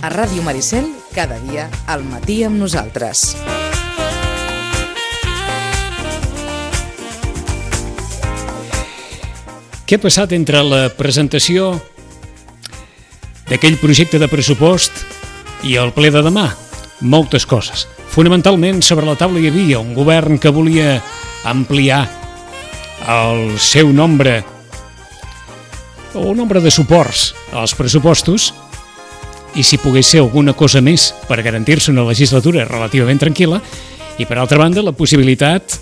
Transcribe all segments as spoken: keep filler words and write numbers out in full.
A Ràdio Maricel, cada dia al matí amb nosaltres. Què ha passat entre la presentació d'aquell projecte de pressupost i el ple de demà? Moltes coses. Fonamentalment, sobre la taula hi havia un govern que volia ampliar el seu nombre o nombre de suports als pressupostos i si pogués ser alguna cosa més per garantir-se una legislatura relativament tranquil·la, i per altra banda la possibilitat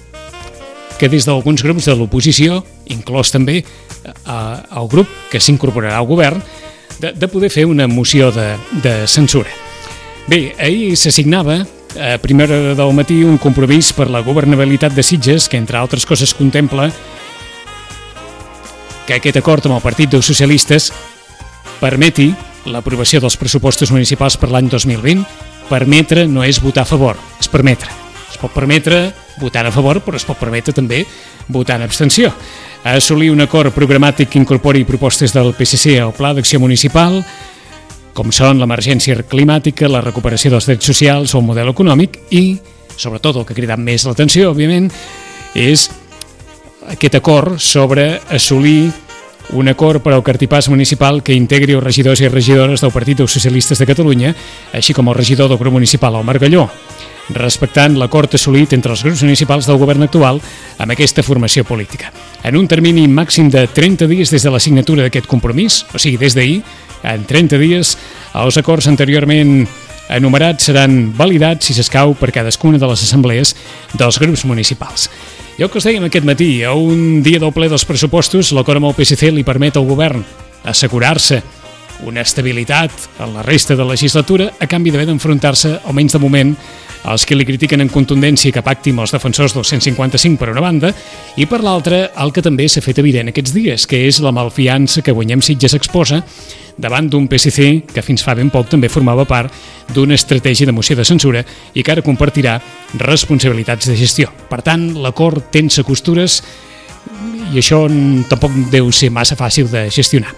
que des d'alguns grups de l'oposició, inclòs també eh, el grup que s'incorporarà al govern, de, de poder fer una moció de, de censura. Bé, ahir s'assignava a primera hora del matí un compromís per la governabilitat de Sitges que, entre altres coses, contempla que aquest acord amb el Partit dels Socialistes permeti l'aprovació dels pressupostos municipals per l'any dos mil vint. Permetre no és votar a favor, és permetre. Es pot permetre votar a favor, però es pot permetre també votar en abstenció. Assolir un acord programàtic que incorpori propostes del P S C al Pla d'Acció Municipal, com són l'emergència climàtica, la recuperació dels drets socials o el model econòmic i, sobretot, el que ha cridat més l'atenció, òbviament, és aquest acord sobre assolir un acord per al cartipàs municipal que integri els regidors i regidores del Partit dels Socialistes de Catalunya, així com el regidor del grup municipal, el Margalló, respectant l'acord assolit entre els grups municipals del govern actual amb aquesta formació política. En un termini màxim de trenta dies des de la signatura d'aquest compromís, o sigui, des d'ahir, en trenta dies, els acords anteriorment enumerats seran validats, si s'escau, per cadascuna de les assemblees dels grups municipals. I el que us dèiem aquest matí, a un dia del ple dels pressupostos, l'acord amb el P S C li permet al govern assegurar-se una estabilitat en la resta de la legislatura a canvi d'haver d'enfrontar-se, almenys de moment, als que li critiquen en contundència que pacti amb els defensors del cent cinquanta-cinc per una banda i per l'altra el que també s'ha fet evident aquests dies, que és la malfiança que Guanyem Sitges exposa davant d'un P S C que fins fa ben poc també formava part d'una estratègia de moció de censura i que ara compartirà responsabilitats de gestió. Per tant, l'acord tensa costures i això tampoc deu ser massa fàcil de gestionar.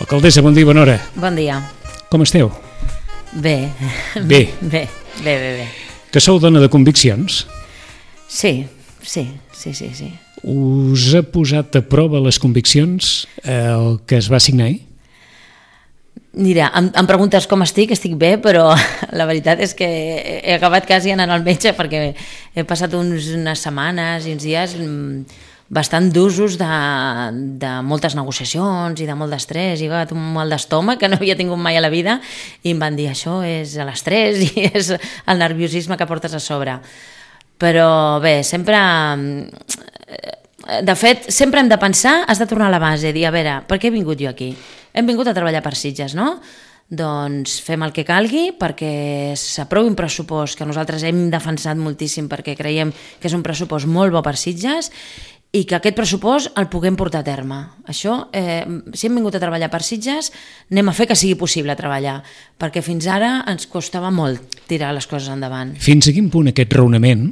Alcaldessa, bon dia, bona hora. Bon dia. Com esteu? Bé. Bé. Bé, bé, bé, bé. Que sou dona de conviccions? Sí, sí, sí, sí, sí. Us ha posat a prova les conviccions el que es va signar ahir? Mira, em, em preguntes com estic, estic bé, però la veritat és que he acabat quasi anant al metge perquè he passat uns, unes setmanes i uns dies bastant d'usos de, de moltes negociacions i de molt d'estrès, i va un mal d'estómac que no havia tingut mai a la vida i em van dir això és l'estrès i és el nerviosisme que portes a sobre. Però bé, sempre... De fet, sempre hem de pensar, has de tornar a la base, dir, a veure, per què he vingut jo aquí? Hem vingut a treballar per Sitges, no? Doncs fem el que calgui perquè s'aprovi un pressupost que nosaltres hem defensat moltíssim perquè creiem que és un pressupost molt bo per Sitges i que aquest pressupost el puguem portar a terme. Això, eh, si hem vingut a treballar per Sitges, anem a fer que sigui possible treballar, perquè fins ara ens costava molt tirar les coses endavant. Fins a quin punt aquest raonament,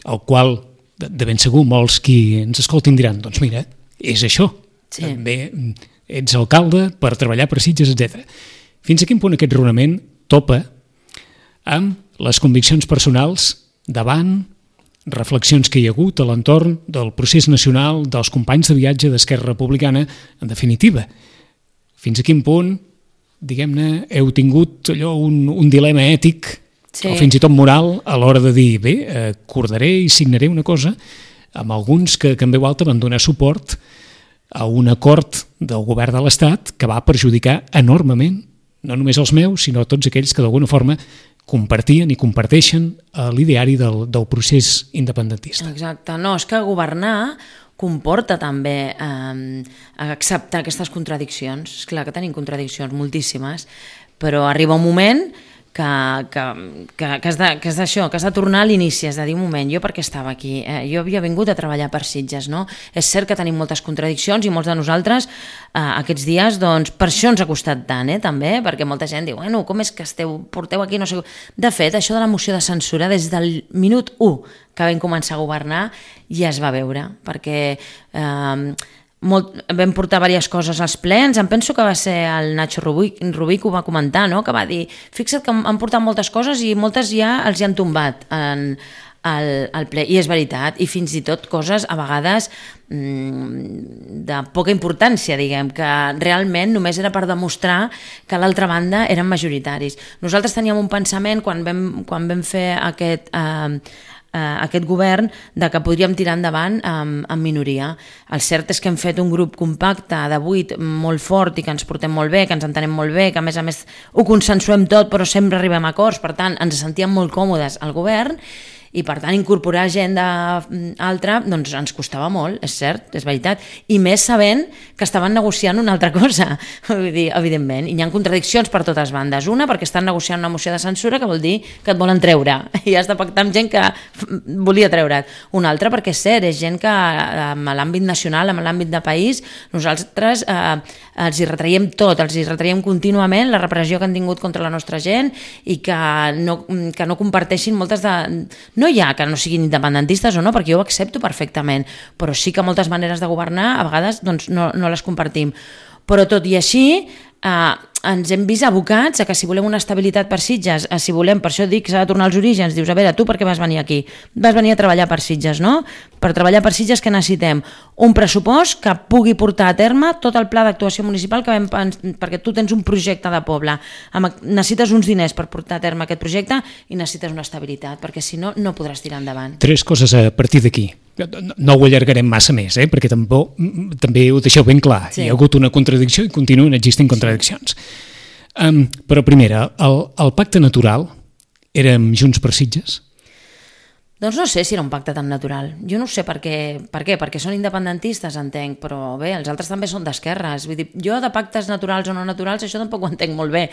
el qual de, de ben segur molts qui ens escoltin diran, doncs mira, és això, sí. També ets alcalde per treballar per Sitges, etcètera. Fins a quin punt aquest raonament topa amb les conviccions personals davant reflexions que hi ha hagut a l'entorn del procés nacional dels companys de viatge d'Esquerra Republicana, en definitiva. Fins a quin punt, diguem-ne, heu tingut allò un, un dilema ètic, sí, o fins i tot moral, a l'hora de dir, bé, acordaré i signaré una cosa amb alguns que, que en veu alta van donar suport a un acord del govern de l'Estat que va perjudicar enormement, no només els meus, sinó tots aquells que d'alguna forma compartien i comparteixen l'ideari del, del procés independentista. Exacte, no, és que governar comporta també eh, acceptar aquestes contradiccions. És clar que tenim contradiccions moltíssimes, però arriba un moment que, que, que, que, has de, que has d'això, que has de tornar a l'inici, has de dir un moment, jo per què estava aquí? Eh, jo havia vingut a treballar per Sitges, no? És cert que tenim moltes contradiccions i molts de nosaltres eh, aquests dies, doncs, per això ens ha costat tant, eh, també, perquè molta gent diu, bueno, com és que esteu, porteu aquí, no sé... De fet, això de la moció de censura, des del minut u que vam començar a governar, ja es va veure, perquè... Eh, molt, vam portar diverses coses als plens, em penso que va ser el Nacho Rubí, Rubí que ho va comentar, no? Que va dir, fixa't que han portat moltes coses i moltes ja els hi han tombat en, al, al ple, i és veritat, i fins i tot coses a vegades mmm, de poca importància, diguem, que realment només era per demostrar que a l'altra banda eren majoritaris. Nosaltres teníem un pensament quan vam, quan vam fer aquest... Eh, Uh, aquest govern de que podríem tirar endavant um, en minoria. El cert és que hem fet un grup compacte de vuit molt fort i que ens portem molt bé, que ens entenem molt bé, que a més a més ho consensuem tot però sempre arribem a acords, per tant ens sentíem molt còmodes al govern i per tant incorporar gent d'altra doncs ens costava molt, és cert, és veritat, i més sabent que estaven negociant una altra cosa, vull dir, evidentment, i hi ha contradiccions per totes bandes. Una, perquè estan negociant una moció de censura que vol dir que et volen treure i has de pactar amb gent que volia treure't. Una altra, perquè és cert, és gent que en l'àmbit nacional, en l'àmbit de país, nosaltres eh, els hi retraiem tot, els hi retraiem contínuament la repressió que han tingut contra la nostra gent i que no, que no comparteixin moltes de... No hi ha que no siguin independentistes o no, perquè jo ho accepto perfectament, però sí que moltes maneres de governar a vegades doncs, no, no les compartim. Però tot i així eh, ens hem vist abocats a que si volem una estabilitat per Sitges, a si volem, per això dic que s'ha de tornar als orígens, dius, a veure, tu per què vas venir aquí? Vas venir a treballar per Sitges, no? Per treballar per Sitges què necessitem? Un pressupost que pugui portar a terme tot el pla d'actuació municipal que vam pensar, perquè tu tens un projecte de poble, necessites uns diners per portar a terme aquest projecte i necessites una estabilitat, perquè si no, no podràs tirar endavant. Tres coses a partir d'aquí. No ho allargarem massa més, eh? Perquè també, també ho deixeu ben clar. Sí. Hi ha hagut una contradicció i continuen existint contradiccions. Sí. Um, però primera, el, el pacte natural era amb Junts per Sitges? Doncs no sé si era un pacte tan natural. Jo no sé per què, per què, perquè són independentistes, entenc, però bé, els altres també són d'esquerres. Vull dir, jo de pactes naturals o no naturals, això tampoc ho entenc molt bé.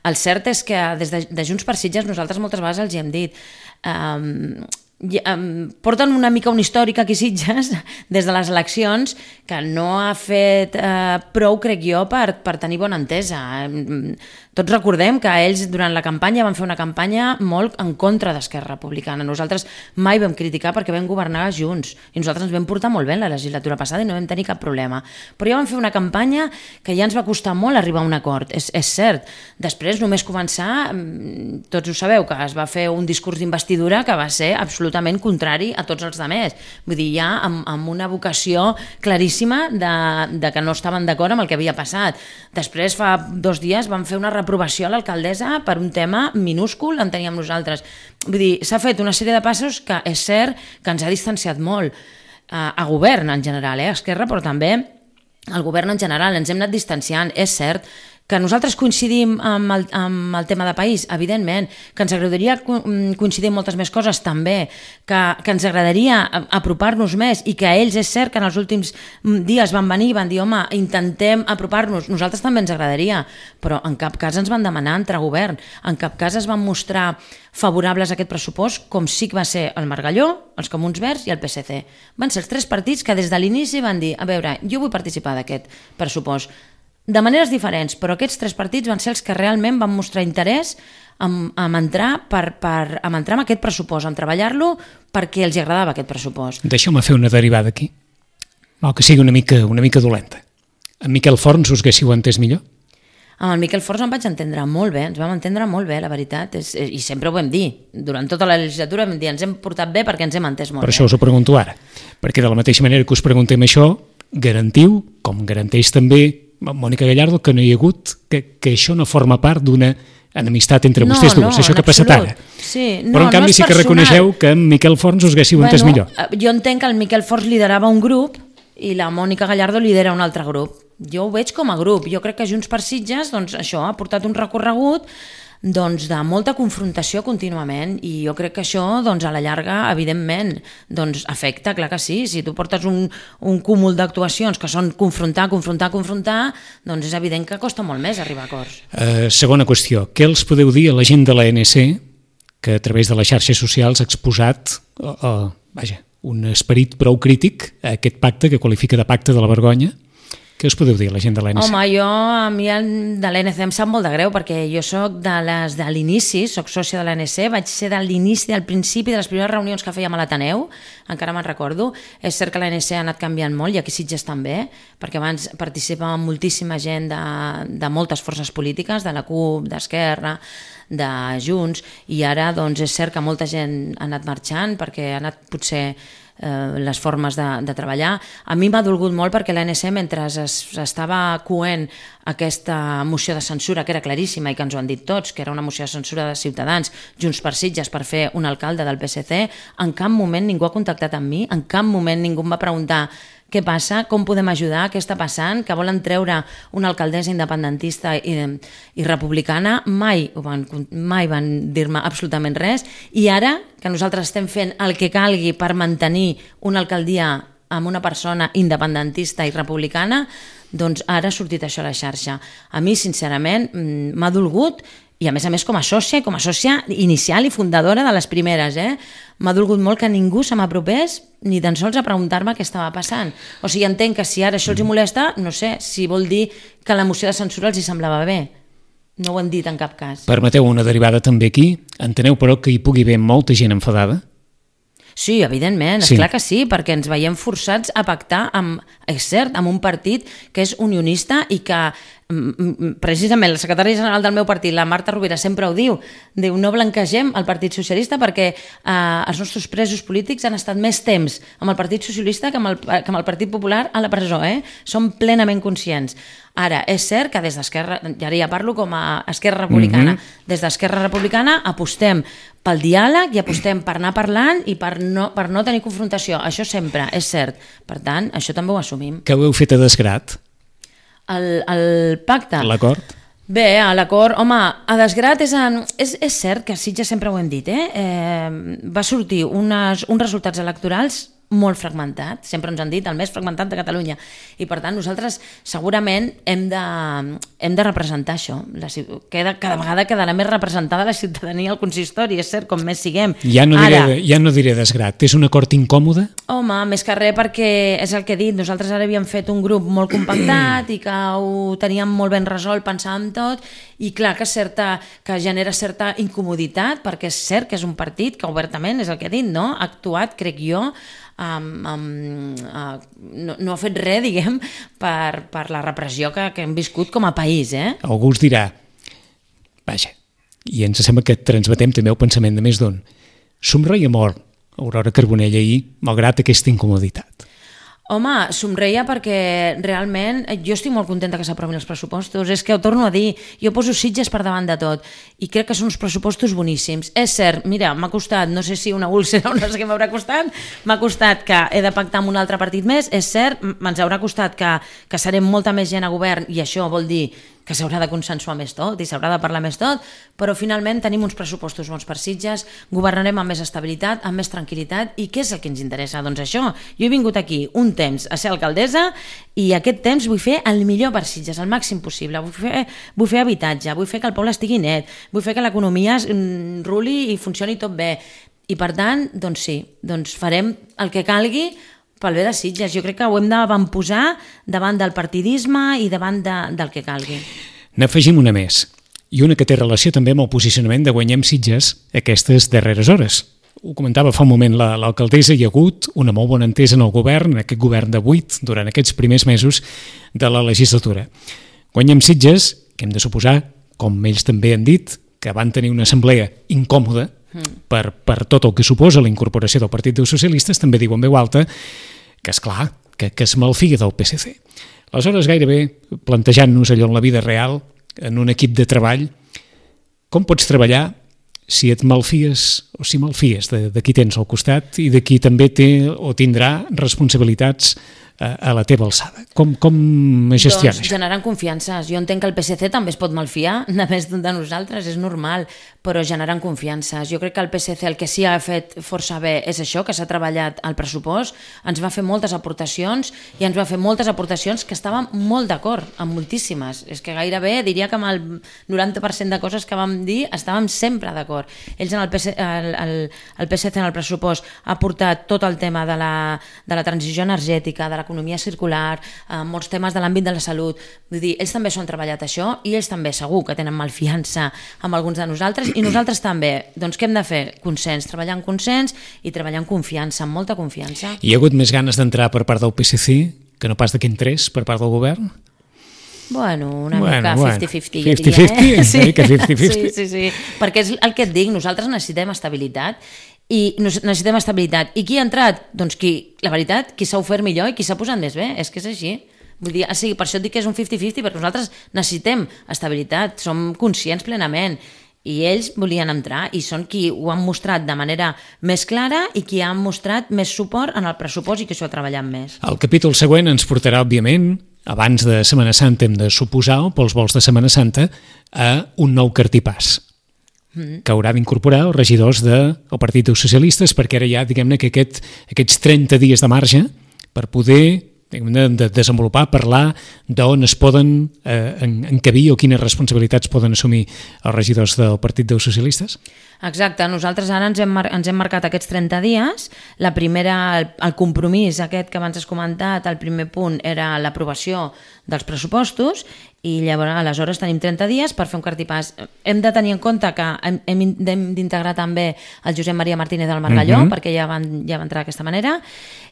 El cert és que des de, de Junts per Sitges nosaltres moltes vegades els hi hem dit... Um, I, um, porten una mica un històric aquí Sitges des de les eleccions que no ha fet uh, prou, crec jo, per, per tenir bona entesa. Um, tots recordem que ells durant la campanya van fer una campanya molt en contra d'Esquerra Republicana. Nosaltres mai vam criticar perquè vam governar junts i nosaltres ens vam portar molt bé en la legislatura passada i no vam tenir cap problema. Però ja vam fer una campanya que ja ens va costar molt arribar a un acord, és, és cert. Després només començar, tots ho sabeu, que es va fer un discurs d'investidura que va ser absolutament contrari a tots els altres. Vull dir, ja amb, amb una vocació claríssima de, de que no estaven d'acord amb el que havia passat. Després, fa dos dies, van fer una reprovació a l'alcaldessa per un tema minúscul, en teníem nosaltres. Vull dir, s'ha fet una sèrie de passos que és cert que ens ha distanciat molt a, a govern en general, eh? Esquerra, però també al govern en general, ens hem anat distanciant, és cert. Que nosaltres coincidim amb el, amb el tema de país, evidentment, que ens agradaria coincidir en moltes més coses, també, que, que ens agradaria apropar-nos més i que ells és cert que en els últims dies van venir i van dir, home, intentem apropar-nos, nosaltres també ens agradaria, però en cap cas ens van demanar entrar a govern, en cap cas es van mostrar favorables a aquest pressupost, com sí que va ser el Margalló, els Comuns Verds i el P S C. Van ser els tres partits que des de l'inici van dir, a veure, jo vull participar d'aquest pressupost, de maneres diferents, però aquests tres partits van ser els que realment van mostrar interès en, en, entrar, per, per, en entrar en aquest pressupost, en treballar-lo perquè els agradava aquest pressupost. Deixeu-me fer una derivada aquí, o que sigui una mica, una mica dolenta. En Miquel Forns us haguéssiu entès millor? Amb el Miquel Forns em vaig entendre molt bé, ens vam entendre molt bé, la veritat, és, i sempre ho vam dir. Durant tota la legislatura vam dir, ens hem portat bé perquè ens hem entès molt bé. Per bé. això us ho pregunto ara, perquè de la mateixa manera que us preguntem això, garantiu, com garanteix també Mònica Gallardo, que no hi ha hagut, que, que això no forma part d'una enemistat entre no, vostès dues, no, això que ha passat ara. Sí, no, però en canvi no sí que personal. reconeixeu que amb Miquel Forns us haguéssiu bueno, entès millor. Jo entenc que el Miquel Forns liderava un grup i la Mònica Gallardo lidera un altre grup. Jo ho veig com a grup. Jo crec que Junts per Sitges doncs, això ha portat un recorregut doncs, de molta confrontació contínuament i jo crec que això doncs, a la llarga evidentment doncs, afecta, clar que sí, si tu portes un, un cúmul d'actuacions que són confrontar, confrontar, confrontar, doncs és evident que costa molt més arribar a acords. Uh, segona qüestió, què els podeu dir a la gent de l'A N C que a través de les xarxes socials ha exposat uh, uh, vaja, un esperit prou crític a aquest pacte que qualifica de pacte de la vergonya Què us podeu dir, la gent de l'A N C? Home, jo, a mi de l'A N C em sap molt de greu, perquè jo sóc de les de l'inici, sóc sòcia de l'A N C, vaig ser de l'inici, del principi, de les primeres reunions que fèiem a l'Ateneu, encara me'n recordo. És cert que l'A N C ha anat canviant molt, i aquí Sitges també, perquè abans participava moltíssima gent de, de moltes forces polítiques, de la CUP, d'Esquerra, de Junts, i ara doncs, és cert que molta gent ha anat marxant, perquè ha anat potser Eh, les formes de, de treballar. A mi m'ha dolgut molt perquè l'A N C, mentre es, estava coent aquesta moció de censura, que era claríssima i que ens ho han dit tots, que era una moció de censura de Ciutadans, Junts per Sitges, per fer un alcalde del P S C, en cap moment ningú ha contactat amb mi, en cap moment ningú em va preguntar què passa, com podem ajudar, què està passant, que volen treure una alcaldessa independentista i, i republicana. Mai van, mai van dir-me absolutament res, i ara que nosaltres estem fent el que calgui per mantenir una alcaldia amb una persona independentista i republicana, doncs ara ha sortit això a la xarxa. A mi, sincerament, m'ha dolgut, i a més a més com a sòcia, com a sòcia inicial i fundadora de les primeres, eh? M'ha dolgut molt que ningú se m'apropés ni tan sols a preguntar-me què estava passant. O sigui, entenc que si ara això els molesta, no sé, si vol dir que la moció de censura els hi semblava bé. No ho han dit en cap cas. Permeteu una derivada també aquí. Enteneu, però, que hi pugui haver molta gent enfadada? Sí, evidentment, sí. Esclar que sí, perquè ens veiem forçats a pactar amb, és cert, amb un partit que és unionista i que precisament la secretària general del meu partit, la Marta Rovira, sempre ho diu, diu no blanquegem el Partit Socialista perquè eh, els nostres presos polítics han estat més temps amb el Partit Socialista que amb el, que amb el Partit Popular a la presó, eh? Som plenament conscients. Ara, és cert que des d'Esquerra, ja ja parlo com a Esquerra Republicana, mm-hmm. des d'Esquerra Republicana apostem pel diàleg i apostem per anar parlant i per no, per no tenir confrontació. Això sempre, és cert. Per tant, això també ho assumim. Què ho heu fet a desgrat? El, el pacte? L'acord? Bé, a l'acord, home, a desgrat és, és, és cert que Sitges sempre ho hem dit, eh? eh va sortir unes, uns resultats electorals molt fragmentat, sempre ens han dit el més fragmentat de Catalunya, i per tant nosaltres segurament hem de, hem de representar això. La, cada, cada vegada quedarà més representada la ciutadania al consistori, és cert, com més siguem. Ja no diré, ara, ja no diré desgrat, és un acord incòmode? Home, més que res perquè és el que he dit, nosaltres ara havíem fet un grup molt compactat i que ho teníem molt ben resolt, pensàvem tot, i clar que, certa, que genera certa incomoditat, perquè és cert que és un partit que obertament, és el que he dit, no? Ha actuat, crec jo, Um, um, uh, no, no ha fet res, diguem, per, per la repressió que, que hem viscut com a país, eh? Algú us dirà, vaja, i ens sembla que transmetem també el pensament de més d'un, somreia molt Aurora Carbonell ahir, malgrat aquesta incomoditat. Home, somreia perquè realment jo estic molt contenta que s'aprovin els pressupostos. És que ho torno a dir, jo poso Sitges per davant de tot i crec que són uns pressupostos boníssims. És cert, mira, m'ha costat, no sé si una úlcera o no sé què m'haurà costat, m'ha costat que he de pactar amb un altre partit més, és cert, ens haurà costat que, que serem molta més gent a govern i això vol dir que s'haurà de consensuar més tot i s'haurà de parlar més tot, però finalment tenim uns pressupostos bons per Sitges, governarem amb més estabilitat, amb més tranquil·litat, i què és el que ens interessa? Doncs això, jo he vingut aquí un temps a ser alcaldessa i aquest temps vull fer el millor per Sitges, el màxim possible, vull fer, vull fer habitatge, vull fer que el poble estigui net, vull fer que l'economia ruli i funcioni tot bé, i per tant, doncs sí, doncs farem el que calgui pel bé de Sitges. Jo crec que ho hem d'avantposar davant del partidisme i davant de, del que calgui. N'afegim una més, i una que té relació també amb el posicionament de Guanyem Sitges aquestes darreres hores. Ho comentava fa un moment l'alcaldessa, hi ha hagut una molt bona entesa en el govern, en aquest govern de vuit, durant aquests primers mesos de la legislatura. Guanyem Sitges, que hem de suposar, com ells també han dit, que van tenir una assemblea incòmoda, Per, per tot el que suposa la incorporació del Partit dels Socialistes, també diu en veu alta que, esclar, que, que es malfia del P S C. Aleshores, gairebé plantejant-nos allò en la vida real, en un equip de treball, com pots treballar si et malfies o si malfies de, de qui tens al costat i de qui també té o tindrà responsabilitats a la teva alçada. Com, com gestionar doncs, això? Generant confiances. Jo entenc que el P S C també es pot malfiar, només de nosaltres, és normal, però generant confiances. Jo crec que el P S C el que sí ha fet força bé és això, que s'ha treballat al pressupost, ens va fer moltes aportacions i ens va fer moltes aportacions que estàvem molt d'acord, amb moltíssimes. És que gairebé diria que amb el noranta per cent de coses que vam dir estàvem sempre d'acord. Ells en el, P S C, el, el, el P S C en el pressupost ha portat tot el tema de la, de la transició energètica, de la l'economia circular, eh, molts temes de l'àmbit de la salut. Vull dir, ells també s'ho han treballat això i ells també segur que tenen malfiança amb alguns de nosaltres i nosaltres també. Doncs què hem de fer? Consens, treballar en consens i treballar en confiança, amb molta confiança. Hi ha hagut més ganes d'entrar per part del P S C que no pas de que entrés per part del govern? Bueno, una bueno, mica bueno. cinquanta cinquanta, cinquanta jo diria. cinquanta? Eh? Sí. Una mica cinquanta cinquanta? Sí, sí, sí, perquè és el que et dic, nosaltres necessitem estabilitat i necessitem estabilitat. I qui ha entrat? Doncs qui, la veritat, qui s'ha ofert millor i qui s'ha posat més bé, és que és així. Vull dir, sí, per això et dic que és un cinquanta cinquanta, perquè nosaltres necessitem estabilitat, som conscients plenament, i ells volien entrar i són qui ho han mostrat de manera més clara i qui han mostrat més suport en el pressupost i que s'ho ha treballat més. El capítol següent ens portarà, òbviament, abans de Setmana Santa hem de suposar, o pels vols de Setmana Santa, a un nou cartipàs mm. que haurà d'incorporar els regidors del Partit dels Socialistes, perquè ara hi ha, diguem-ne, que aquest, aquests trenta dies de marge per poder de, de desenvolupar, parlar d'on es poden eh, encabir o quines responsabilitats poden assumir els regidors del Partit dels Socialistes? Exacte, nosaltres ara ens hem, mar ens hem marcat aquests trenta dies. La primera, el, el compromís aquest que abans has comentat, el primer punt era l'aprovació dels pressupostos i llavors aleshores tenim trenta dies per fer un cartipàs. Hem de tenir en compte que hem, hem d'integrar també el Josep Maria Martínez del Margalló, mm-hmm. perquè ja van, ja va entrar d'aquesta manera,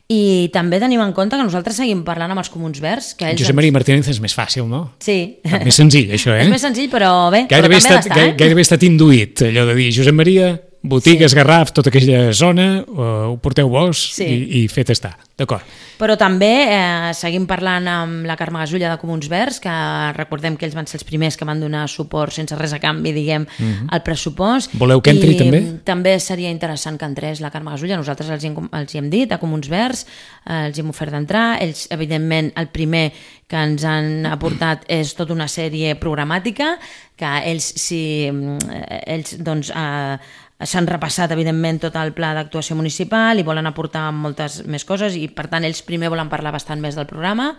i també tenim en compte que nosaltres seguim parlant amb els Comuns Verds. Que ells Josep Maria Martínez és més fàcil, no? Sí. És més senzill, això, eh? És més senzill, però bé, gairebé però també estat, ha d'estar, eh? Gairebé ha estat induït, allò de dir Josep Maria, botigues, sí. Garraf, tota aquella zona, uh, ho porteu vos sí. i, i fet estar, d'acord. Però també eh, seguim parlant amb la Carme Gasulla de Comuns Verds, que recordem que ells van ser els primers que van donar suport sense res a canvi, diguem, mm-hmm. al pressupost. Voleu que entri I també? També seria interessant que entrés la Carme Gasulla, nosaltres els hi hem, els hi hem dit a Comuns Verds, eh, els hi hem ofert d'entrar, ells evidentment el primer que ens han aportat és tota una sèrie programàtica, que ells, si, ells doncs, eh, s'han repassat, evidentment, tot el pla d'actuació municipal i volen aportar moltes més coses i, per tant, ells primer volen parlar bastant més del programa,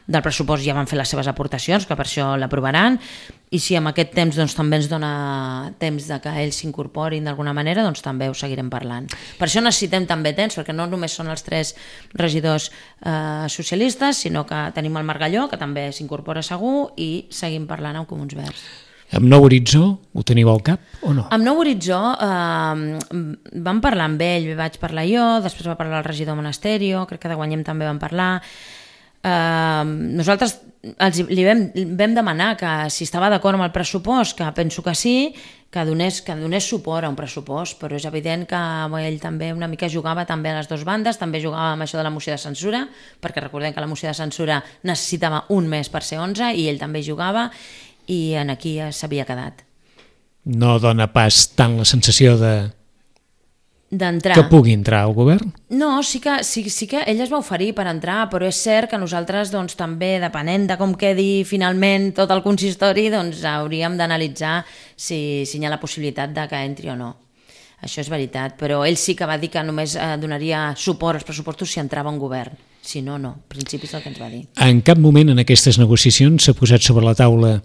del pressupost ja van fer les seves aportacions, que per això l'aprovaran, i si amb aquest temps doncs, també ens dona temps de que ells s'incorporin d'alguna manera, doncs també ho seguirem parlant. Per això necessitem també temps, perquè no només són els tres regidors eh, socialistes, sinó que tenim el Margalló, que també s'incorpora segur, i seguim parlant amb Comuns Verds. Amb Nou Horitzó ho teniu al cap o no? Amb Nou Horitzó eh, vam parlar amb ell, vaig parlar jo, després va parlar el regidor Monasterio, crec que de Guanyem també vam parlar. Eh, nosaltres els, li vam, vam demanar que si estava d'acord amb el pressupost, que penso que sí, que donés, que donés suport a un pressupost, però és evident que ell també una mica jugava també a les dues bandes, també jugava amb això de la moció de censura, perquè recordem que la moció de censura necessitava un mes per ser onze i ell també jugava, i en aquí ja s'havia quedat. No dona pas tant la sensació de d'entrar. Que pugui entrar al govern? No, sí que, sí, sí que ell es va oferir per entrar, però és cert que nosaltres doncs, també, depenent de com quedi finalment tot el consistori, doncs hauríem d'analitzar si, si hi ha la possibilitat de que entri o no. Això és veritat, però ell sí que va dir que només eh, donaria suport als pressupostos si entrava un govern. Si no, no. En principi és el que ens va dir. En cap moment en aquestes negociacions s'ha posat sobre la taula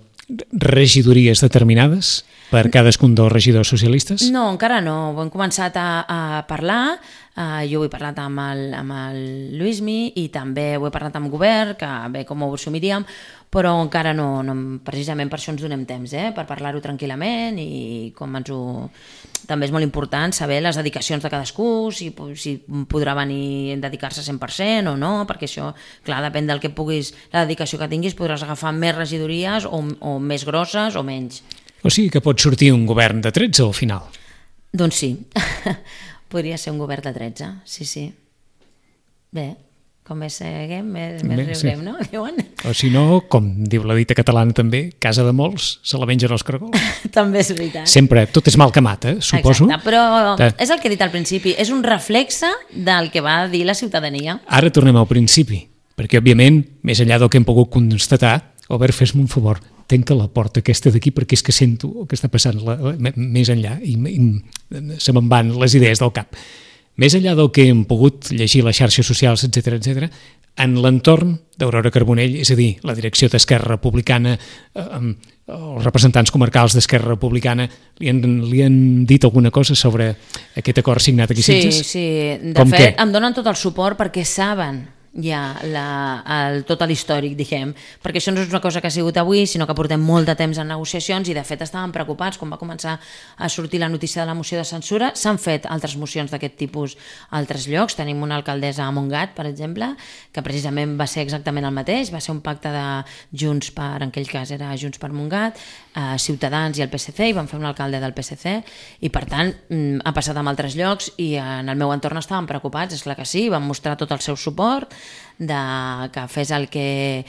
regidories determinades per cadascun dels regidors socialistes? No, encara no. Ho hem començat a, a parlar. Uh, jo ho he parlat amb el, amb el Luismi i també ho he parlat amb el govern, que bé, com ho assumiríem, però encara no, no, precisament per això ens donem temps, eh? Per parlar-ho tranquil·lament i com ens ho... També és molt important saber les dedicacions de cadascú, si, si podrà venir a dedicar-se cent per cent o no, perquè això, clar, depèn del que puguis, la dedicació que tinguis, podràs agafar més regidories o, o més grosses o menys. O sigui que pot sortir un govern de tretze al final? Doncs sí, podria ser un govern de tretze, sí, sí. Bé, com més seguem, més, més Bé, riurem, sí. No? Diuen? O si no, com diu la dita catalana també, casa de molts se la mengen els caragols. També és veritat. Sempre, tot és mal que mata, suposo. Exacte, però de... és el que he dit al principi, és un reflexe del que va dir la ciutadania. Ara tornem al principi, perquè òbviament, més enllà del que hem pogut constatar, Albert, fes-me un favor, tanca la porta aquesta d'aquí perquè és que sento el que està passant la, la, més enllà i, i se me'n van les idees del cap. Més enllà del que hem pogut llegir les xarxes socials, etcètera, etcètera, en l'entorn d'Aurora Carbonell, és a dir, la direcció d'Esquerra Republicana, eh, els representants comarcals d'Esquerra Republicana, li han, li han dit alguna cosa sobre aquest acord signat aquí a Sitges? Sí, sí. De Com fet, que? Em donen tot el suport perquè saben, ja la, el, tot l'històric, diguem, perquè això no és una cosa que ha sigut avui, sinó que portem molt de temps en negociacions i de fet estàvem preocupats quan va començar a sortir la notícia de la moció de censura. S'han fet altres mocions d'aquest tipus a altres llocs, tenim una alcaldessa a Montgat, per exemple, que precisament va ser exactament el mateix, va ser un pacte de Junts per, en aquell cas era Junts per Montgat, eh, Ciutadans i el P S C, i van fer un alcalde del P S C, i per tant ha passat en altres llocs i en el meu entorn estàvem preocupats, és clar que sí, van mostrar tot el seu suport, de que fes el que,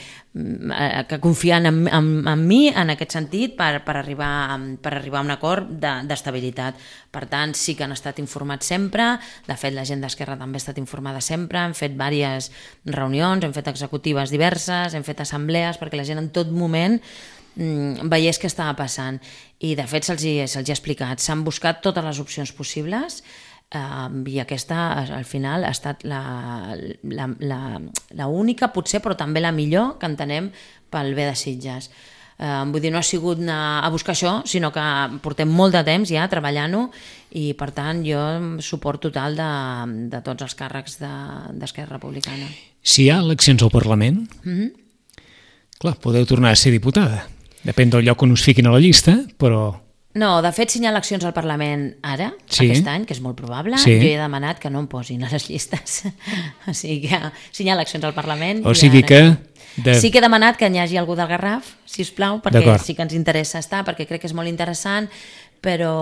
que confien en, en, en mi en aquest sentit per, per, arribar, per arribar a un acord d'estabilitat. De, per tant, sí que han estat informats sempre, de fet la gent d'Esquerra també ha estat informada sempre, hem fet diverses reunions, hem fet executives diverses, hem fet assemblees perquè la gent en tot moment veiés què estava passant. I de fet se'ls hi, se'ls hi ha explicat, s'han buscat totes les opcions possibles. Uh, i aquesta al final ha estat la, la, la, la única potser, però també la millor que entenem pel bé de Sitges. Uh, vull dir, no ha sigut anar a buscar això, sinó que portem molt de temps ja treballant-ho i per tant jo suport total de, de tots els càrrecs d'Esquerra Republicana. Si hi ha eleccions al Parlament, mm-hmm. clar, podeu tornar a ser diputada. Depèn del lloc on us fiquin a la llista, però... No, de fet, si hi ha eleccions al Parlament ara, sí. aquest any, que és molt probable, sí. jo he demanat que no em posin a les llistes. O sigui que si hi ha eleccions al Parlament... O sigui que... De... Sí que he demanat que n'hi hagi algú del Garraf, sisplau, perquè sí que ens interessa estar, perquè crec que és molt interessant, però...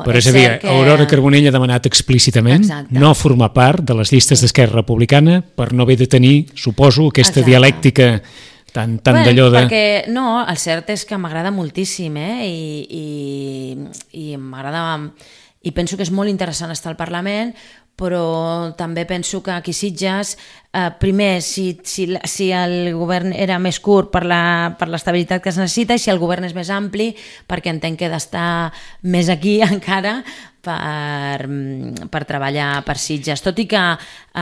Però és, és a dir, que... Aurora Carbonell ha demanat explícitament Exacte. no formar part de les llistes d'Esquerra Republicana per no haver de tenir, suposo, aquesta Exacte. dialèctica... Tant, tant bueno, d'allò de... Perquè, no, el cert és que m'agrada moltíssim, eh? I, i, i m'agrada... I penso que és molt interessant estar al Parlament, però també penso que aquí Sitges, eh, primer, si, si, si el govern era més curt per la, per l'estabilitat que es necessita, i si el govern és més ampli, perquè entenc que he d'estar més aquí encara, per, per treballar per Sitges. Tot i que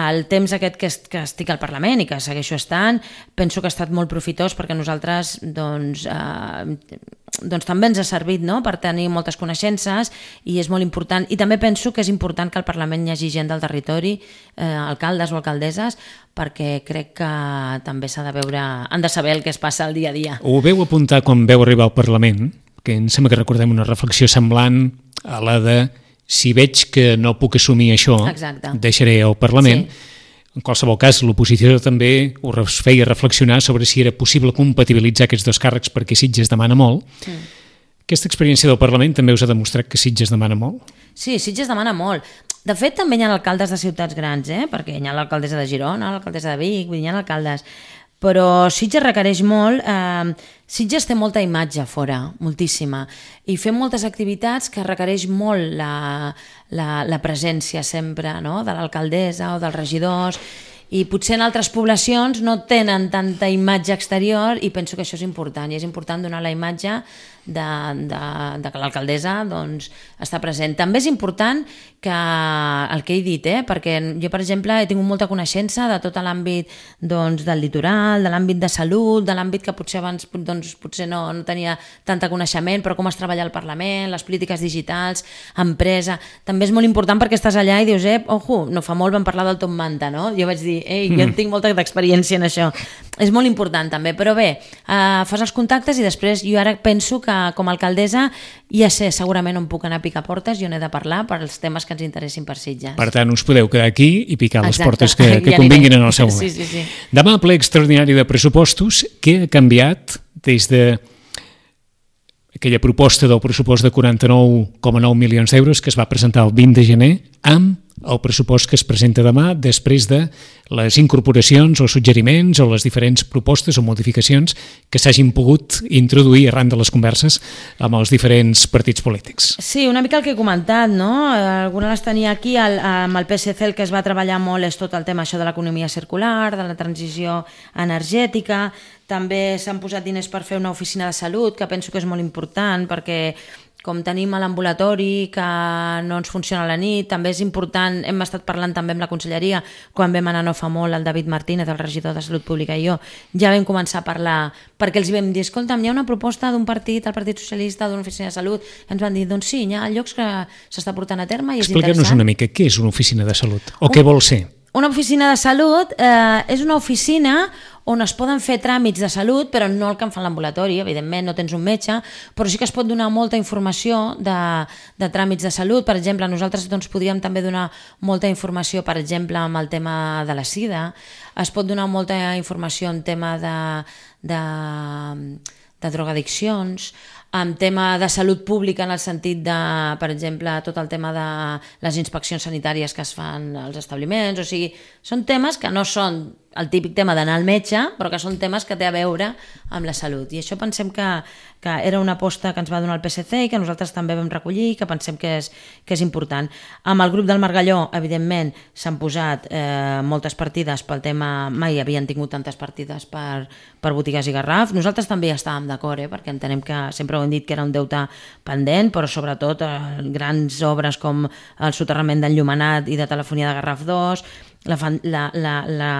el temps aquest que, que estic al Parlament i que segueixo estant, penso que ha estat molt profitós perquè nosaltres doncs, eh, doncs també ens ha servit, no?, per tenir moltes coneixences i és molt important. I també penso que és important que al Parlament hi hagi gent del territori, eh, alcaldes o alcaldesses, perquè crec que també s'ha de veure, han de saber el que es passa al dia a dia. Ho veu apuntar quan veu arribar al Parlament, que em sembla que recordem una reflexió semblant a la de si veig que no puc assumir això, Exacte. deixaré el Parlament. Sí. En qualsevol cas, l'oposició també us feia reflexionar sobre si era possible compatibilitzar aquests dos càrrecs perquè Sitges demana molt. Mm. Aquesta experiència del Parlament també us ha demostrat que Sitges demana molt? Sí, Sitges demana molt. De fet, també hi ha alcaldes de ciutats grans, eh? Perquè hi ha l'alcaldessa de Girona, l'alcaldessa de Vic, hi ha alcaldes... Però Sitges requereix molt, eh, Sitges té molta imatge fora, moltíssima, i fem moltes activitats que requereix molt la, la, la presència sempre, no?, de l'alcaldessa o dels regidors, i potser en altres poblacions no tenen tanta imatge exterior i penso que això és important, i és important donar la imatge de, de, de que l'alcaldessa doncs, està present. També és important que el que he dit, eh? perquè jo, per exemple, he tingut molta coneixença de tot l'àmbit doncs, del litoral, de l'àmbit de salut, de l'àmbit que potser abans doncs, potser no, no tenia tanta coneixement, però com es treballa al Parlament, les polítiques digitals, empresa... També és molt important perquè estàs allà i dius, eh, ojo, no fa molt vam parlar del Top Manta, no? Jo vaig dir, ei, jo mm. tinc molta experiència en això. És molt important també, però bé, eh, fas els contactes i després jo ara penso que com a alcaldessa ja sé segurament on puc anar a picar portes i on he de parlar per als temes que ens interessin per Sitges. Per tant, us podeu quedar aquí i picar les Exacte. portes que, que ja convinguin en el seu moment. Sí, sí, sí. Demà, ple extraordinari de pressupostos, què ha canviat des de aquella proposta del pressupost de quaranta-nou coma nou milions d'euros que es va presentar el vint de gener amb el pressupost que es presenta demà després de les incorporacions o suggeriments o les diferents propostes o modificacions que s'hagin pogut introduir arran de les converses amb els diferents partits polítics. Sí, una mica el que he comentat, no? Alguna les tenia aquí, el, amb el P S C el que es va treballar molt és tot el tema això de l'economia circular, de la transició energètica, també s'han posat diners per fer una oficina de salut, que penso que és molt important perquè com tenim a l'ambulatori que no ens funciona a la nit, també és important, hem estat parlant també amb la conselleria, quan vam anar no fa molt, el David Martínez, el regidor de Salut Pública i jo, ja vam començar a parlar, perquè els vam dir, escolta'm, hi ha una proposta d'un partit, el Partit Socialista, d'una oficina de salut, ens van dir, doncs sí, hi ha llocs que s'està portant a terme i és interessant. Explica'ns una mica, què és una oficina de salut? O un... què vol ser? una oficina de salut eh, és una oficina on es poden fer tràmits de salut, però no el que en fa l'ambulatori, evidentment no tens un metge, però sí que es pot donar molta informació de, de tràmits de salut. Per exemple, nosaltres doncs, podríem també donar molta informació, per exemple, amb el tema de la sida, es pot donar molta informació en tema de, de, de drogadiccions, en tema de salut pública en el sentit de, per exemple, tot el tema de les inspeccions sanitàries que es fan als establiments, o sigui, són temes que no són el típic tema d'anar al metge, però que són temes que té a veure amb la salut. I això pensem que, que era una aposta que ens va donar el P S C i que nosaltres també vam recollir i que pensem que és, que és important. Amb el grup del Margalló, evidentment, s'han posat eh, moltes partides pel tema... Mai havien tingut tantes partides per, per botigues i Garraf. Nosaltres també hi estàvem d'acord, eh, perquè entenem que sempre ho hem dit que era un deute pendent, però sobretot eh, grans obres com el soterrament d'enllumenat i de telefonia de Garraf dos, La, la, la, la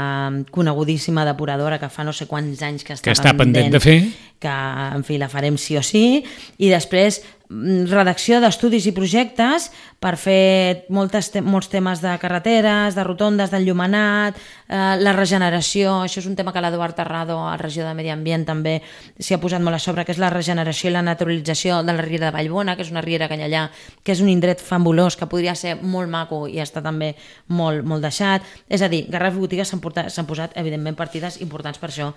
conegudíssima depuradora que fa no sé quants anys que està, que està pendent, pendent de fer, que en fi la farem sí o sí, i després redacció d'estudis i projectes per fer moltes te molts temes de carreteres, de rotondes, d'enllumenat, eh, la regeneració, això és un tema que l'Eduard Terrado, a la regió de Medi Ambient, també s'hi ha posat molt a sobre, que és la regeneració i la naturalització de la riera de Vallbona, que és una riera que hi ha allà, que és un indret fabulós, que podria ser molt maco i està també molt, molt deixat. És a dir, Garraf i botigues s'han posat, evidentment, partides importants per això.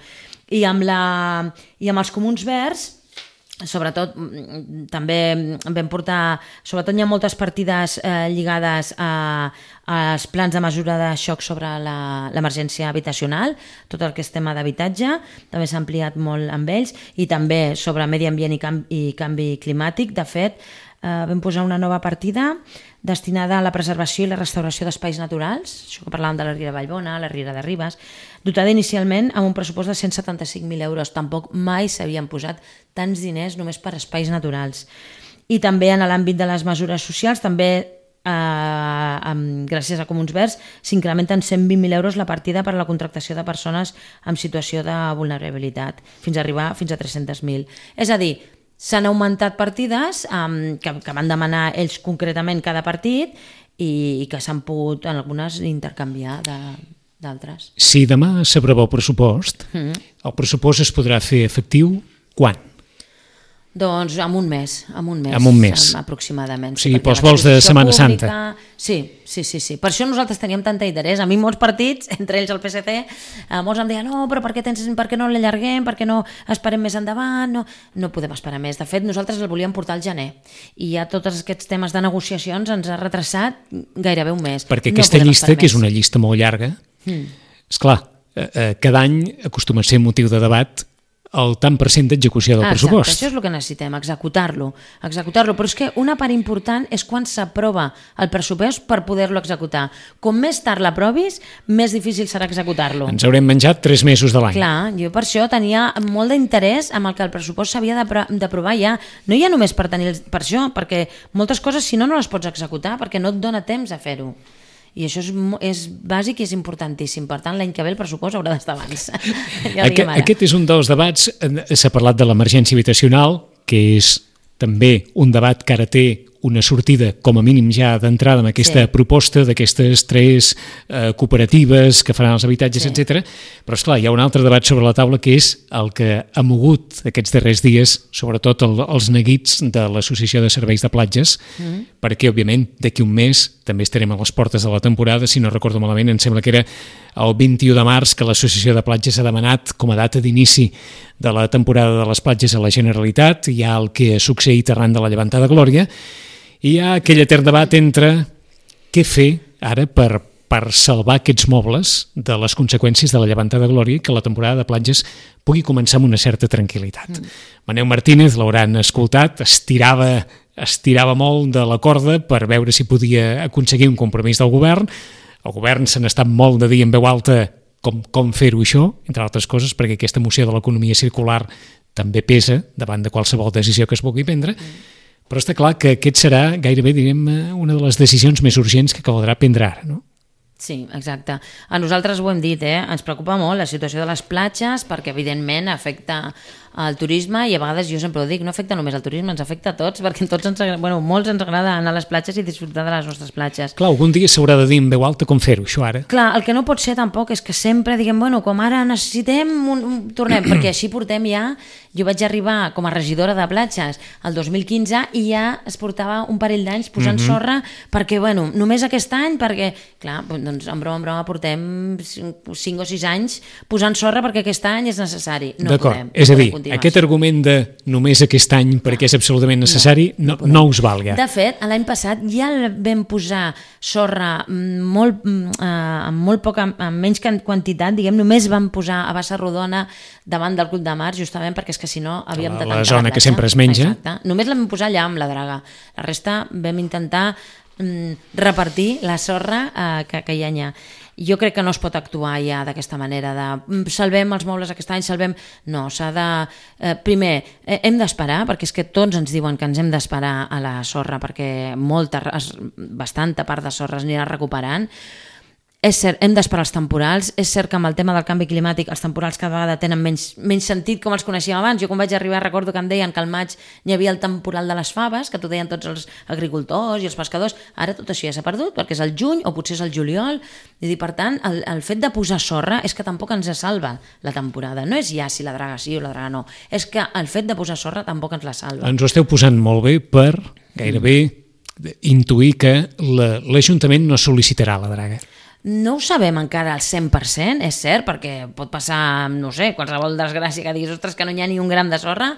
I amb, la, i amb els comuns verds, sobretot també vam portar, sobretot hi ha moltes partides eh, lligades a, als plans de mesura de xoc sobre l'emergència habitacional, tot el que és tema d'habitatge, també s'ha ampliat molt amb ells, i també sobre medi ambient i canvi, i canvi climàtic. De fet, eh, vam posar una nova partida destinada a la preservació i la restauració d'espais naturals, això que parlàvem de la Riera de Vallbona, la Riera de Ribes, dotada inicialment amb un pressupost de cent setanta-cinc mil euros. Tampoc mai s'havien posat tants diners només per espais naturals. I també en l'àmbit de les mesures socials, també eh, amb, gràcies a Comuns Verds, s'incrementen cent vint mil euros la partida per a la contractació de persones en situació de vulnerabilitat, fins a arribar fins a tres-cents mil. És a dir, s'han augmentat partides um, que, que van demanar ells concretament cada partit i, i que s'han pogut en algunes intercanviar d'altres. Si demà s'aprova el pressupost, mm. el pressupost es podrà fer efectiu quan? Doncs en un mes, en un mes, en un mes. aproximadament. O sigui, pels vols de Setmana pública... Santa. Sí, sí, sí, sí. Per això nosaltres teníem tanta interès. A mi molts partits, entre ells el P S C, eh, molts em deien, no, però per què, tens, per què no l'allarguem, per què no esperem més endavant? No, no podem esperar més. De fet, nosaltres el volíem portar al gener i ja tots aquests temes de negociacions ens ha retrasat gairebé un mes. Perquè aquesta no llista, que és una llista molt llarga, mm. esclar, eh, cada any acostuma a ser motiu de debat el tant per cent d'execució del ah, pressupost. Exacte, això és el que necessitem, executar-lo. Executar-lo, però és que una part important és quan s'aprova el pressupost per poder-lo executar. Com més tard l'aprovis, més difícil serà executar-lo. Ens haurem menjat tres mesos de l'any. Clar, jo per això tenia molt d'interès amb el que el pressupost s'havia d'aprovar ja. No hi ha només per tenir per això, perquè moltes coses, si no, no les pots executar, perquè no et dona temps a fer-ho. I això és, és bàsic i és importantíssim. Per tant, l'any que ve el pressupost haurà d'estar abans. Ja Aquest, aquest és un dels debats. S'ha parlat de l'emergència habitacional, que és també un debat que ara té una sortida, com a mínim ja d'entrada, amb aquesta sí. proposta d'aquestes tres eh, cooperatives que faran els habitatges, sí. etcètera. Però, esclar, hi ha un altre debat sobre la taula que és el que ha mogut aquests darrers dies, sobretot el, els neguits de l'Associació de Serveis de Platges, mm. perquè, òbviament, d'aquí un mes també estarem a les portes de la temporada. Si no recordo malament, em sembla que era el vint-i-u de març que l'Associació de Platges ha demanat com a data d'inici de la temporada de les platges a la Generalitat. Hi ha el que ha succeït arran de la llevantada Glòria, i hi ha aquell etern debat entre què fer ara per, per salvar aquests mobles de les conseqüències de la llevantada Glòria i que la temporada de platges pugui començar amb una certa tranquil·litat. Mm. Maneu Martínez, l'hauran escoltat, estirava, estirava molt de la corda per veure si podia aconseguir un compromís del govern. El govern se n'ha estat molt de dir en veu alta com, com fer-ho això, entre altres coses, perquè aquesta moció de l'economia circular també pesa davant de qualsevol decisió que es vulgui prendre. Mm. Però està clar que aquest serà gairebé, direm, una de les decisions més urgents que caldrà prendre ara, no? Sí, exacte. A nosaltres ho hem dit, eh? Ens preocupa molt la situació de les platges perquè, evidentment, afecta al turisme i a vegades jo sempre ho dic, no afecta només al turisme, ens afecta a tots, perquè tots ens, bueno, molts ens agrada anar a les platges i disfrutar de les nostres platges. Clar, algun dia s'haurà de dir en veu alta com fer-ho, això ara. Clar, el que no pot ser tampoc és que sempre diguem, bueno, com ara necessitem, un, un, tornem, perquè així portem ja, jo vaig arribar com a regidora de platges el dos mil quinze i ja es portava un parell d'anys posant mm-hmm. sorra perquè, bueno, només aquest any, perquè, clar, doncs en broma en broma portem cinc o sis anys posant sorra perquè aquest any és necessari. No D'acord, és a dir, aquest argument de només aquest any perquè és absolutament necessari no, no, no us valga. De fet, l'any passat ja vam posar sorra molt, eh, amb molt poca, amb menys quantitat, diguem, només vam posar a Bassa Rodona davant del Club de Mar, justament perquè és que si no havíem de tancar la platja. La zona que sempre es menja. Exacte. Només la vam posar allà amb la draga. La resta vam intentar mm, repartir la sorra eh, que, que hi ha allà. Jo crec que no es pot actuar ja d'aquesta manera de salvem els mobles aquest any, salvem... No, s'ha de... Eh, primer, eh, hem d'esperar, perquè és que tots ens diuen que ens hem d'esperar a la sorra, perquè molta, bastanta part de sorra es anirà recuperant. És cert, hem d'esperar els temporals, és cert que amb el tema del canvi climàtic els temporals cada vegada tenen menys, menys sentit com els coneixíem abans. Jo quan vaig arribar recordo que em deien que al maig hi havia el temporal de les faves, que t'ho deien tots els agricultors i els pescadors. Ara tot això ja s'ha perdut perquè és el juny o potser és el juliol. I per tant, el, el fet de posar sorra és que tampoc ens salva la temporada. No és ja si la draga sí o la draga no. És que el fet de posar sorra tampoc ens la salva. Ens ho esteu posant molt bé per gairebé intuir que l'Ajuntament no sol·licitarà la draga. No ho sabem encara al cent per cent, és cert, perquè pot passar, no sé, qualsevol desgràcia que diguis, ostres, que no hi ha ni un gram de sorra,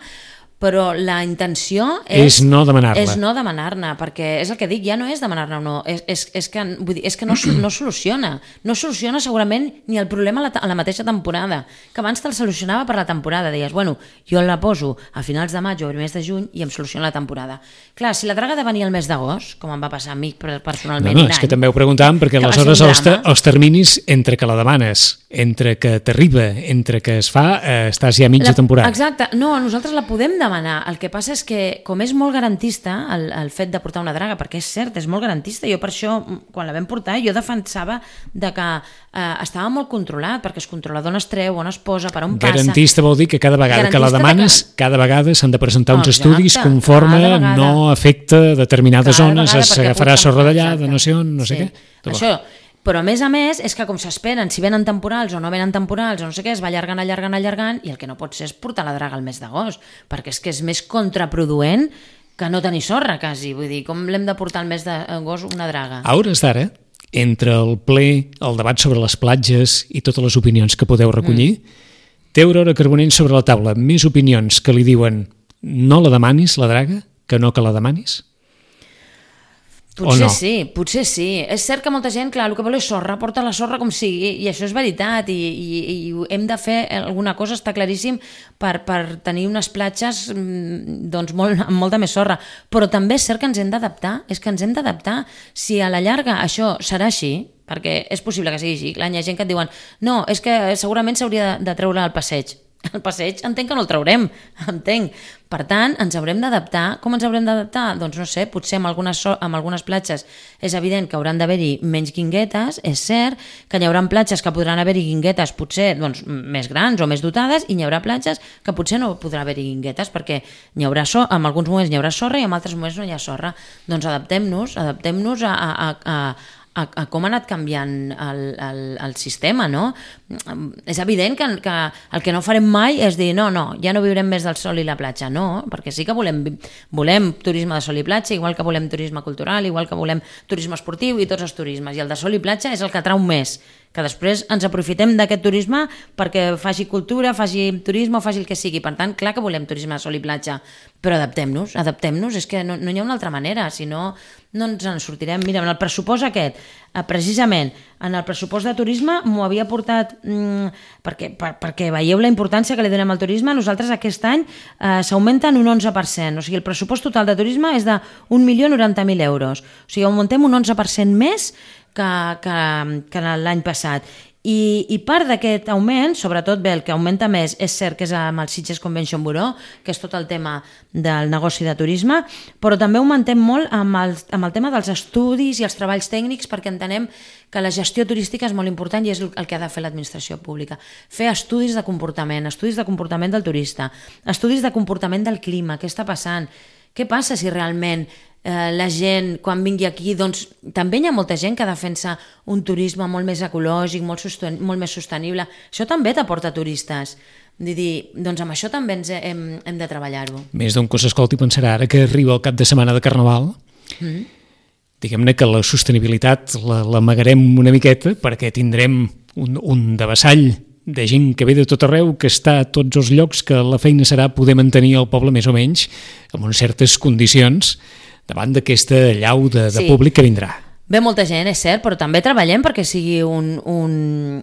però la intenció és, és no demanar-la. És no demanar-ne, perquè és el que dic, ja no és demanar-ne o no, és, és, és que, vull dir, és que no, no soluciona. No soluciona segurament ni el problema a la, a la mateixa temporada, que abans te'l solucionava per la temporada, deies, bueno, jo la poso a finals de maig o al mes de juny i em soluciona la temporada. Clar, si la draga ha de venir al mes d'agost, com em va passar a mi personalment no, no, un any... és que també ho preguntàvem, perquè aleshores els, els terminis entre que la demanes, entre que t'arriba, entre que es fa, eh, estàs ja a mitja la, temporada. Exacte, no, nosaltres la podem demanar. El que passa és que, com és molt garantista el, el fet de portar una draga, perquè és cert, és molt garantista, jo per això, quan la vam portar, jo defensava de que eh, estava molt controlat, perquè es controla d'on es treu, on es posa, per on passa. Garantista vol dir que cada vegada garantista que la demanes, que... cada vegada s'han de presentar uns Exacte, estudis conforme no afecta determinades cada zones, s'agafarà sorra d'allà, de no sé on, no sé sí. què. Tot això... Però a més a més és que com s'esperen, si venen temporals o no venen temporals o no sé què, es va allargant, allargant, allargant i el que no pot ser és portar la draga al mes d'agost, perquè és que és més contraproduent que no tenir sorra quasi, vull dir, com l'hem de portar al mes d'agost una draga? A hores d'ara, entre el ple, el debat sobre les platges i totes les opinions que podeu recollir, mm. té Aurora Carbonell sobre la taula més opinions que li diuen no la demanis, la draga, que no que la demanis? Potser no? sí, potser sí. És cert que molta gent, clar, el que vol és sorra, porta la sorra com sigui, i això és veritat, i, i, i hem de fer alguna cosa, està claríssim, per, per tenir unes platges doncs, molt, amb molta més sorra. Però també és cert que ens hem d'adaptar, és que ens hem d'adaptar. Si a la llarga això serà així, perquè és possible que sigui així, clar, hi ha gent que et diuen no, és que segurament s'hauria de, de treure al passeig. El passeig entenc que no el traurem, entenc. Per tant, ens haurem d'adaptar. Com ens haurem d'adaptar? Doncs no sé, potser amb algunes, so amb algunes platges és evident que hauran d'haver-hi menys guinguetes, és cert que hi haurà platges que podran haver-hi guinguetes potser doncs, més grans o més dotades i hi haurà platges que potser no podrà haver-hi guinguetes perquè hi haurà so en alguns moments hi haurà sorra i en altres moments no hi ha sorra. Doncs adaptem-nos, adaptem-nos a, a, a, a, a com ha anat canviant el, el, el sistema, no? És evident que, que el que no farem mai és dir no, no, ja no viurem més del sol i la platja, no, perquè sí que volem, volem turisme de sol i platja, igual que volem turisme cultural, igual que volem turisme esportiu i tots els turismes, i el de sol i platja és el que atrau més, que després ens aprofitem d'aquest turisme perquè faci cultura, faci turisme o faci el que sigui. Per tant, clar que volem turisme de sol i platja, però adaptem-nos, adaptem-nos, és que no, no hi ha una altra manera, si no, no ens en sortirem. Mira, en el pressupost aquest, precisament, en el pressupost de turisme m'ho havia portat, mmm, perquè, per, perquè veieu la importància que li donem al turisme, nosaltres aquest any eh, s'augmenta en un onze per cent, o sigui, el pressupost total de turisme és d'un milió noranta mil euros, o sigui, augmentem un onze per cent més que, que, que l'any passat. I, i part d'aquest augment, sobretot bé, el que augmenta més és cert que és amb el Sitges Convention Bureau, que és tot el tema del negoci de turisme, però també augmentem molt amb el, amb el tema dels estudis i els treballs tècnics, perquè entenem que la gestió turística és molt important i és el que ha de fer l'administració pública. Fer estudis de comportament, estudis de comportament del turista, estudis de comportament del clima, què està passant, què passa si realment Eh, la gent, quan vingui aquí, doncs també hi ha molta gent que defensa un turisme molt més ecològic, molt, sosten molt més sostenible. Això també t'aporta turistes. Vull dir, doncs amb això també ens hem, hem de treballar-ho. Més d'un que s'escolti pensarà ara que arriba el cap de setmana de Carnaval, mm. diguem-ne que la sostenibilitat l'amagarem una miqueta perquè tindrem un, un devassall de gent que ve de tot arreu, que està a tots els llocs, que la feina serà poder mantenir el poble més o menys amb unes certes condicions davant d'aquesta llau de, de sí. públic que vindrà. Ve molta gent, és cert, però també treballem perquè sigui un, un,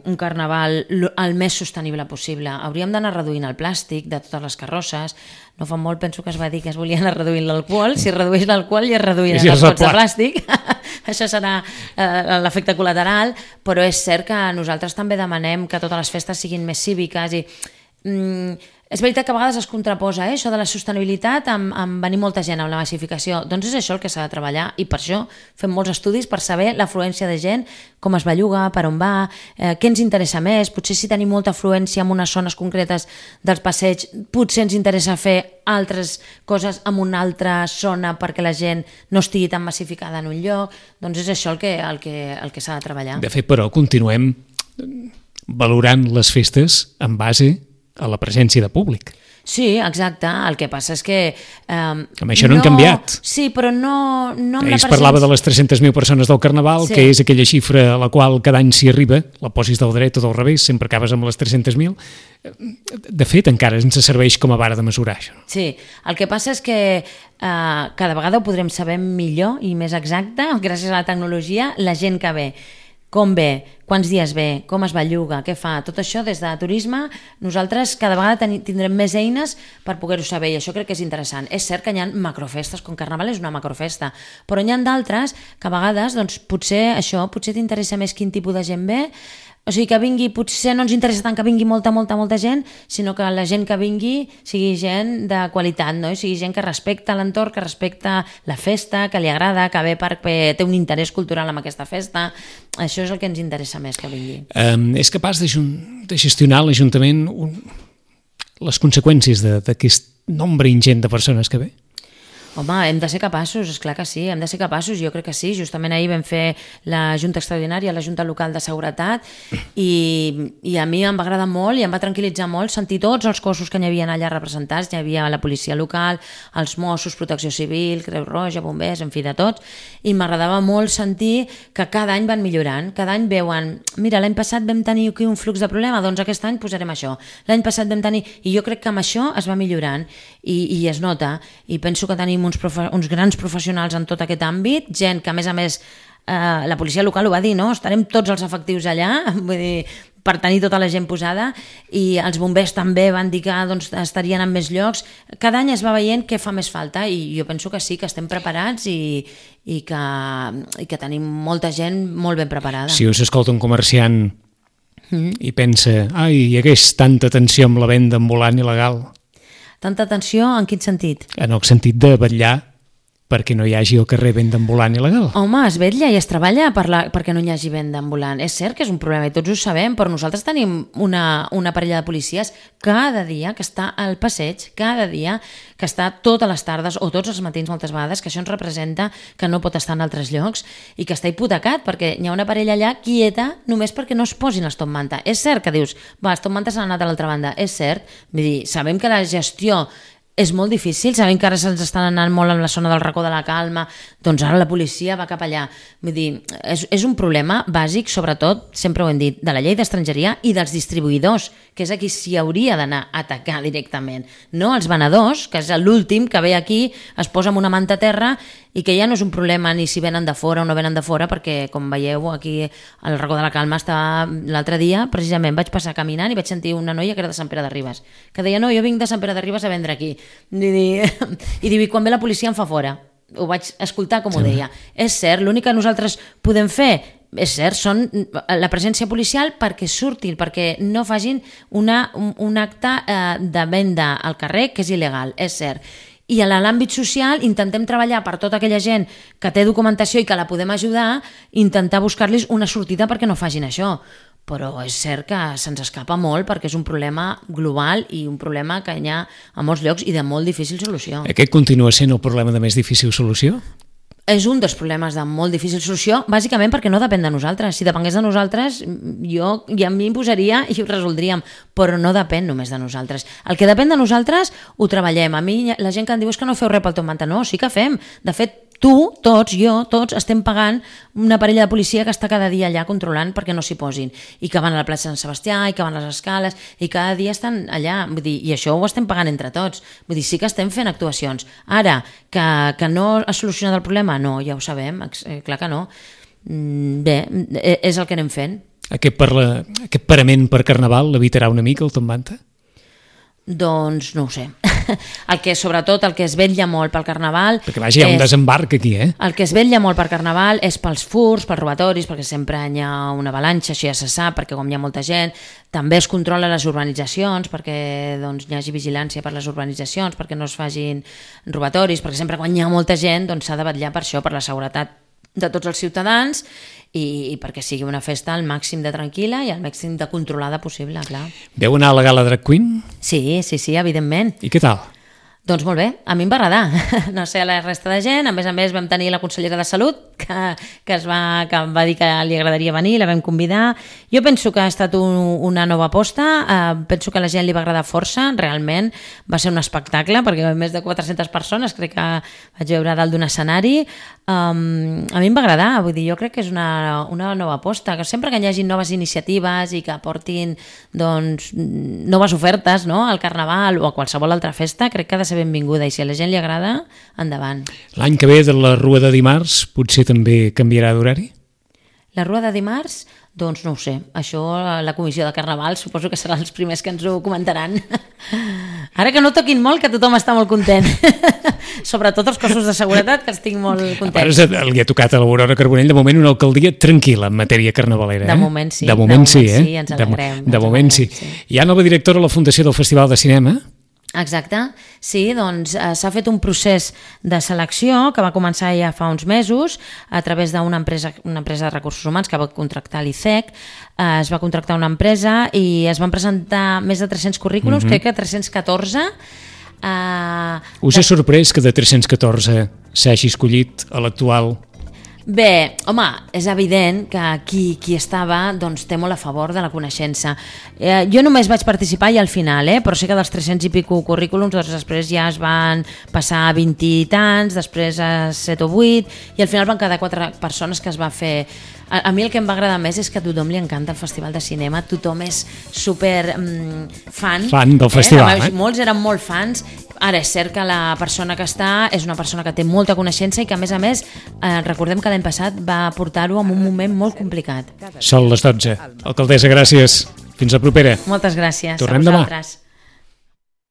un carnaval el més sostenible possible. Hauríem d'anar reduint el plàstic de totes les carrosses. No fa molt, penso que es va dir que es volia anar reduint l'alcohol. Si es redueix l'alcohol ja es reduiran els pots de plàstic. Això serà eh, l'efecte col·lateral, però és cert que nosaltres també demanem que totes les festes siguin més cíviques i... Mm, és veritat que a vegades es contraposa eh, això de la sostenibilitat amb, amb venir molta gent amb la massificació. Doncs és això el que s'ha de treballar i per això fem molts estudis per saber l'afluència de gent, com es belluga, per on va, eh, què ens interessa més. Potser si tenim molta afluència en unes zones concretes dels passeigs, potser ens interessa fer altres coses en una altra zona perquè la gent no estigui tan massificada en un lloc. Doncs és això el que, el que, el que s'ha de treballar. De fet, però, continuem valorant les festes en base a la presència de públic. Sí, exacte. El que passa és que... Eh, amb això no, no han canviat. Sí, però no... no amb Ells la presència... parlava de les tres-centes mil persones del Carnaval, sí. que és aquella xifra a la qual cada any s'hi arriba, la posis del dret o del revés, sempre acabes amb les tres-centes mil. De fet, encara ens serveix com a vara de mesurar això. Sí, el que passa és que eh, cada vegada ho podrem saber millor i més exacte, gràcies a la tecnologia, la gent que ve. Com ve, quants dies ve, com es belluga, què fa, tot això des de turisme, nosaltres cada vegada tindrem més eines per poder-ho saber i això crec que és interessant. És cert que hi ha macrofestes, com Carnaval és una macrofesta, però n'hi ha d'altres que a vegades doncs, potser això, potser t'interessa més quin tipus de gent ve, o sigui que vingui, potser no ens interessa tant que vingui molta, molta, molta gent, sinó que la gent que vingui sigui gent de qualitat, no? I sigui gent que respecta l'entorn, que respecta la festa, que li agrada, que ve perquè té un interès cultural amb aquesta festa. Això és el que ens interessa més que vingui. Um, és capaç de, de gestionar l'Ajuntament un... les conseqüències d'aquest nombre ingent de persones que ve? Home, hem de ser capaços, esclar que sí, hem de ser capaços, jo crec que sí. Justament ahir vam fer la Junta Extraordinària, la Junta Local de Seguretat, i, i a mi em va agradar molt i em va tranquil·litzar molt sentir tots els cossos que hi havia allà representats. Hi havia la policia local, els Mossos, Protecció Civil, Creu Roja, bombers, en fi, de tots, i m'agradava molt sentir que cada any van millorant, cada any veuen, mira, l'any passat vam tenir aquí un flux de problema, doncs aquest any posarem això. L'any passat vam tenir... I jo crec que amb això es va millorant i, i es nota, i penso que tenim uns, profe uns grans professionals en tot aquest àmbit, gent que a més a més eh, la policia local ho va dir, no? Estarem tots els efectius allà, vull dir, per tenir tota la gent posada, i els bombers també van dir que doncs, estarien en més llocs. Cada any es va veient què fa més falta i jo penso que sí, que estem preparats i, i, que, i que tenim molta gent molt ben preparada. Si us escolta un comerciant mm. i pensa, ai, hi hagués tanta tensió amb la venda ambulant il·legal. Tanta atenció, en quin sentit? En el sentit de vetllar perquè no hi hagi al carrer venda ambulant il·legal. Home, es vetlla i es treballa per la, perquè no hi hagi venda ambulant. És cert que és un problema i tots ho sabem, però nosaltres tenim una, una parella de policies cada dia que està al passeig, cada dia que està totes les tardes o tots els matins moltes vegades, que això ens representa que no pot estar en altres llocs i que està hipotecat perquè hi ha una parella allà quieta només perquè no es posin els top manta. És cert que dius, va, els top manta s'han anat a l'altra banda. És cert, vull dir, sabem que la gestió és molt difícil, sabem que ara se'ns estan anant molt en la zona del racó de la Calma, doncs ara la policia va cap allà. Vull dir, és, és un problema bàsic, sobretot, sempre ho hem dit, de la llei d'estrangeria i dels distribuïdors, que és a qui s'hi hauria d'anar a atacar directament. No els venedors, que és l'últim que ve aquí, es posa amb una manta a terra i que ja no és un problema ni si venen de fora o no venen de fora, perquè, com veieu, aquí al racó de la Calma estava l'altre dia, precisament vaig passar caminant i vaig sentir una noia que era de Sant Pere de Ribes, que deia, no, jo vinc de Sant Pere de Ribes a vendre aquí. I diu, i quan ve la policia em fa fora. Ho vaig escoltar com ho deia. És cert, l'únic que nosaltres podem fer és cert, són la presència policial perquè surtin, perquè no facin una, un, un acte eh, de venda al carrer, que és il·legal, és cert. I a l'àmbit social intentem treballar per tota aquella gent que té documentació i que la podem ajudar, intentar buscar-los una sortida perquè no facin això. Però és cert que se'ns escapa molt perquè és un problema global i un problema que hi ha a molts llocs i de molt difícil solució. Aquest continua sent el problema de més difícil solució? És un dels problemes de molt difícil solució, bàsicament perquè no depèn de nosaltres. Si depengués de nosaltres, jo ja m'hi imposaria i ho resoldríem, però no depèn només de nosaltres. El que depèn de nosaltres ho treballem. A mi la gent que em diu és que no feu res pel Top Manta. No, sí que fem. De fet, tu, tots, jo, tots estem pagant una parella de policia que està cada dia allà controlant perquè no s'hi posin, i que van a la plaça Sant Sebastià i que van a les escales i cada dia estan allà, vull dir, i això ho estem pagant entre tots, vull dir, sí que estem fent actuacions. Ara, que, que no ha solucionat el problema? No, ja ho sabem, eh, clar que no. Bé, és el que anem fent. Aquest, parla, aquest parament per Carnaval l'evitarà una mica el Top Manta? Doncs no ho sé. El que, sobretot, el que es vetlla molt pel Carnaval... Perquè vaja, hi ha un desembarc aquí, eh? El que es vetlla molt per Carnaval és pels furs, pels robatoris, perquè sempre hi ha una avalanxa, això ja se sap, perquè com hi ha molta gent, també es controla les urbanitzacions, perquè doncs, hi hagi vigilància per les urbanitzacions, perquè no es facin robatoris, perquè sempre quan hi ha molta gent doncs, s'ha de vetllar per això, per la seguretat de tots els ciutadans i, i perquè sigui una festa al màxim de tranquil·la i al màxim de controlada possible, clar. Veu anar a la gala Drag Queen? Sí, sí, sí, evidentment. I què tal? Doncs molt bé, a mi em va agradar, no sé a la resta de gent, a més a més vam tenir la consellera de Salut que, que, es va, que va dir que li agradaria venir, la vam convidar. Jo penso que ha estat un, una nova aposta, eh, penso que a la gent li va agradar força, realment va ser un espectacle perquè més de quatre-centes persones, crec que vaig veure dalt d'un escenari. Um, a mi em va agradar, vull dir, jo crec que és una, una nova aposta, que sempre que hi hagi noves iniciatives i que aportin doncs, noves ofertes, no?, al Carnaval o a qualsevol altra festa, crec que ha de ser benvinguda i si a la gent li agrada, endavant. L'any que ve de la Rua de dimarts potser també canviarà d'horari? La Rua de dimarts? Doncs no ho sé. Això la comissió de Carnaval suposo que seran els primers que ens ho comentaran. Ara que no toquin molt, que tothom està molt content. Sobretot els cossos de seguretat, que estic molt content. Ara li ha tocat a l'Aurora Carbonell, de moment una alcaldia tranquil·la en matèria carnavalera. Eh? De moment sí. De moment, de moment sí, eh? sí, ens alegrem. De, de moment sí. sí. Hi ha nova directora a la Fundació del Festival de Cinema? Exacte, sí, doncs eh, s'ha fet un procés de selecció que va començar ja fa uns mesos a través d'una empresa, una empresa de recursos humans que va contractar l'I C E C, eh, es va contractar una empresa i es van presentar més de tres-cents currículums, mm-hmm. crec que tres-cents catorze. Eh, Us ha sorprès que de tres-cents catorze s'hagi escollit a l'actual? Bé, home, és evident que qui, qui estava doncs, té molt a favor de la coneixença. Eh, jo només vaig participar i al final, eh, però sé que dels tres-cents i pico currículums doncs, després ja es van passar a vint i tants, després a set o vuit, i al final van quedar quatre persones que es va fer... A, a mi el que em va agradar més és que a tothom li encanta el Festival de Cinema, tothom és super mm, fan. Fan del festival, eh? eh? Molts eren molt fans. Ara és cert que la persona que està és una persona que té molta coneixença i que a més a més eh, recordem que l'any passat va portar-ho en un moment molt complicat. Són les dotze. Alcaldessa, gràcies. Fins la propera. Moltes gràcies. Tornem demà.